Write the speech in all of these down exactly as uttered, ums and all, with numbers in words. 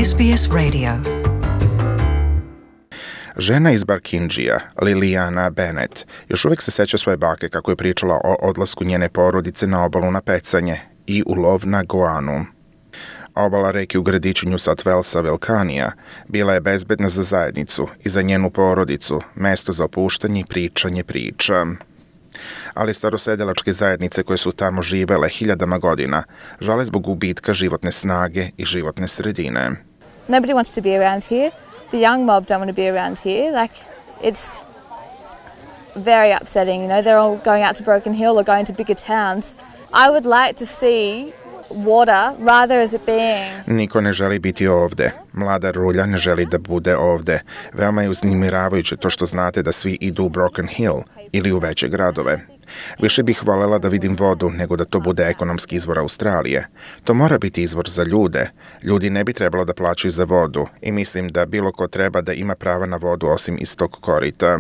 S B S Radio. Žena iz Barkindžija, Liliana Bennett, još uvijek se seća svoje bake kako je pričala o odlasku njene porodice na obalu na pecanje i u lov na goanu. Obala reke u gradiću New South Walesa Vilcanija bila je bezbedna za zajednicu i za njenu porodicu, mesto za opuštanje i pričanje priča. Ali starosedelačke zajednice koje su tamo živele hiljadama godina žale zbog gubitka životne snage i životne sredine. Nobody wants to be around here. The young mob don't want to be around here. Like, it's very upsetting, you know. They're all going out to Broken Hill or going to bigger towns. I would like to see water rather as it being. Niko ne želi biti ovde. Mlada rulja ne želi da bude ovde. Veoma je uznemiravajuće to što znate da svi idu u Broken Hill ili u veće gradove. Više bih voljela da vidim vodu nego da to bude ekonomski izvor Australije. To mora biti izvor za ljude. Ljudi ne bi trebalo da plaćaju za vodu i mislim da bilo ko treba da ima prava na vodu osim iz tog korita.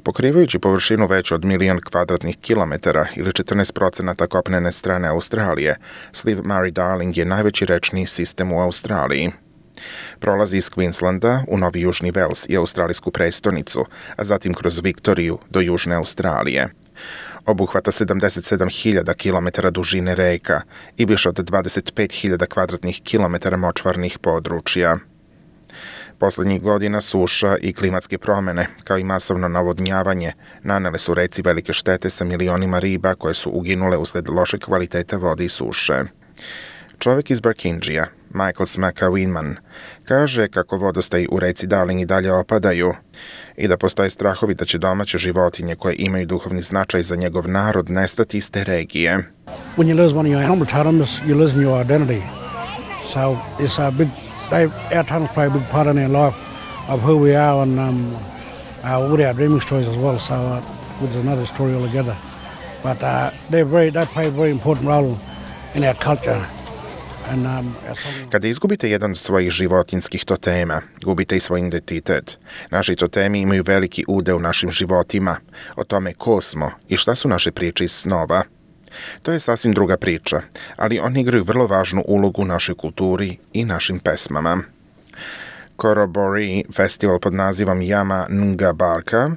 Pokrivajući površinu veću od milion kvadratnih kilometara ili četrnaest procenata kopnene strane Australije, sliv Murray-Darling je najveći rečni sistem u Australiji. Prolazi iz Queenslanda u Novi Južni Vels i australijsku prestonicu, a zatim kroz Viktoriju do Južne Australije. Obuhvata sedamdeset sedam hiljada kilometara dužine reka i više od dvadeset pet hiljada kvadratnih kilometara močvarnih područja. Poslednjih godina suša i klimatske promene, kao i masovno navodnjavanje, nanele su reci velike štete sa milionima riba koje su uginule usled lošeg kvaliteta vode i suše. Čovjek iz Barkindžija, Michael Smaka-Winman, kaže kako vodostaji u reci Darling i dalje opadaju i da postoje strahovi da će domaće životinje koje imaju duhovni značaj za njegov narod nestati iz te regije. When you lose one of your animal totems, you lose your identity. So it's a big, they, our totems play a big part in our life of who we are and um, uh, with our dreaming stories as well. So uh, which is another story altogether. But uh, they very, they play a very important role in our culture. Kada izgubite jedan od svojih životinskih totema, gubite i svoj identitet. Naši totemi imaju veliki udeo u našim životima, o tome ko smo i šta su naše priče iz snova. To je sasvim druga priča, ali oni igraju vrlo važnu ulogu u našoj kulturi i našim pesmama. Korobori, festival pod nazivom Yama Nunga Barka,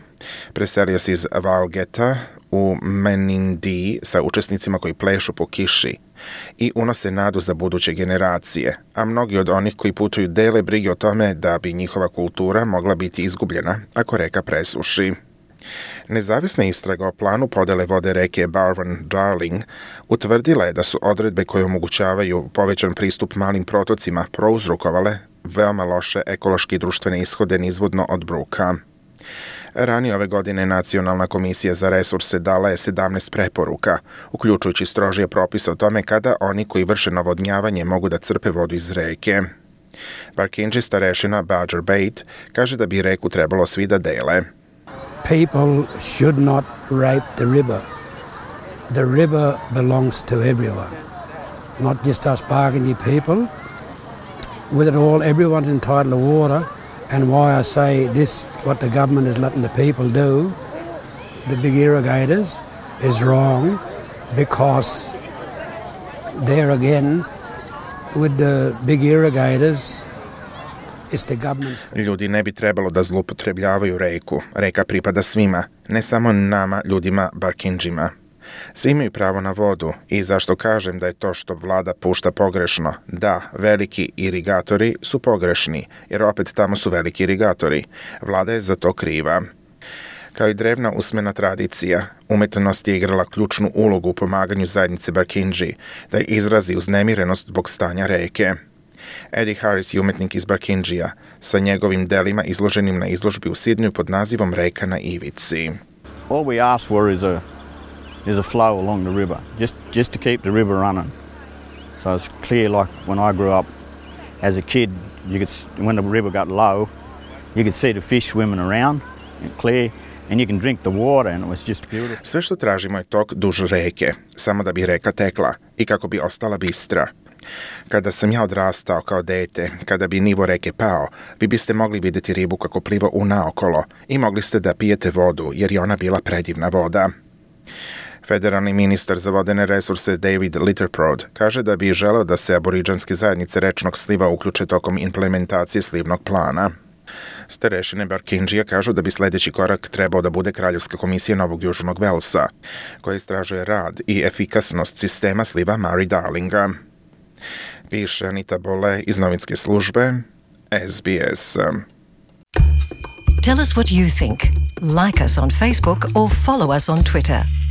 preselio se iz Walgetta u Menindee sa učesnicima koji plešu po kiši i unose nadu za buduće generacije, a mnogi od onih koji putuju dele brige o tome da bi njihova kultura mogla biti izgubljena ako reka presuši. Nezavisna istraga o planu podele vode reke Barwon-Darling utvrdila je da su odredbe koje omogućavaju povećan pristup malim protocima prouzrokovale veoma loše ekološke i društvene ishode nizvodno od Bruka. Ranije ove godine Nacionalna komisija za resurse dala je sedamnaest preporuka, uključujući strožije propise o tome kada oni koji vrše navodnjavanje mogu da crpe vodu iz reke. Barkindži starešina Badger Bate kaže da bi reku trebalo svi da dele. People should not rape the river. The river belongs to everyone, not just us Barkindji people. With it all, everyone's entitled to water. And why I say this, what the government is letting the people do, the big irrigators, is wrong because there again, with the big irrigators, it's the government's... Ljudi ne bi trebalo da zloupotrebljavaju reku. Reka pripada svima, ne samo nama, ljudima Barkindžima. Svi imaju pravo na vodu i zašto kažem da je to što vlada pušta pogrešno. Da, veliki irigatori su pogrešni, jer opet tamo su veliki irigatori. Vlada je za to kriva. Kao i drevna usmena tradicija, umetnost je igrala ključnu ulogu u pomaganju zajednice Barkindži da izrazi uznemirenost zbog stanja reke. Eddie Harris je umetnik iz Barkindžija sa njegovim delima izloženim na izložbi u Sidneju pod nazivom Reka na ivici. All we ask for is a There's a flow along the river, just just to keep the river running. So it's clear, like when I grew up as a kid, you could when the river got low, you could see the fish swimming around, clear, and you can drink the water, and it was just beautiful. Sve što tražimo je tok duž reke, samo da bi reka tekla i kako bi ostala bistra. Kada sam ja odrastao kao dete, kada bi nivo reke pao, vi biste mogli vidjeti ribu kako pliva unaokolo i mogli ste da pijete vodu jer je ona bila predivna voda. Federalni ministar za vodene resurse David Litterprode kaže da bi želeo da se aboriđanske zajednice rečnog sliva uključe tokom implementacije slivnog plana. Starešine Barkinđija kažu da bi sljedeći korak trebao da bude Kraljevska komisija Novog Južnog Velsa, koja istražuje rad i efikasnost sistema sliva Murray-Darlinga. Piše Anita Bole iz novinske službe S B S. Tell us what you think. Like us on Facebook or follow us on Twitter.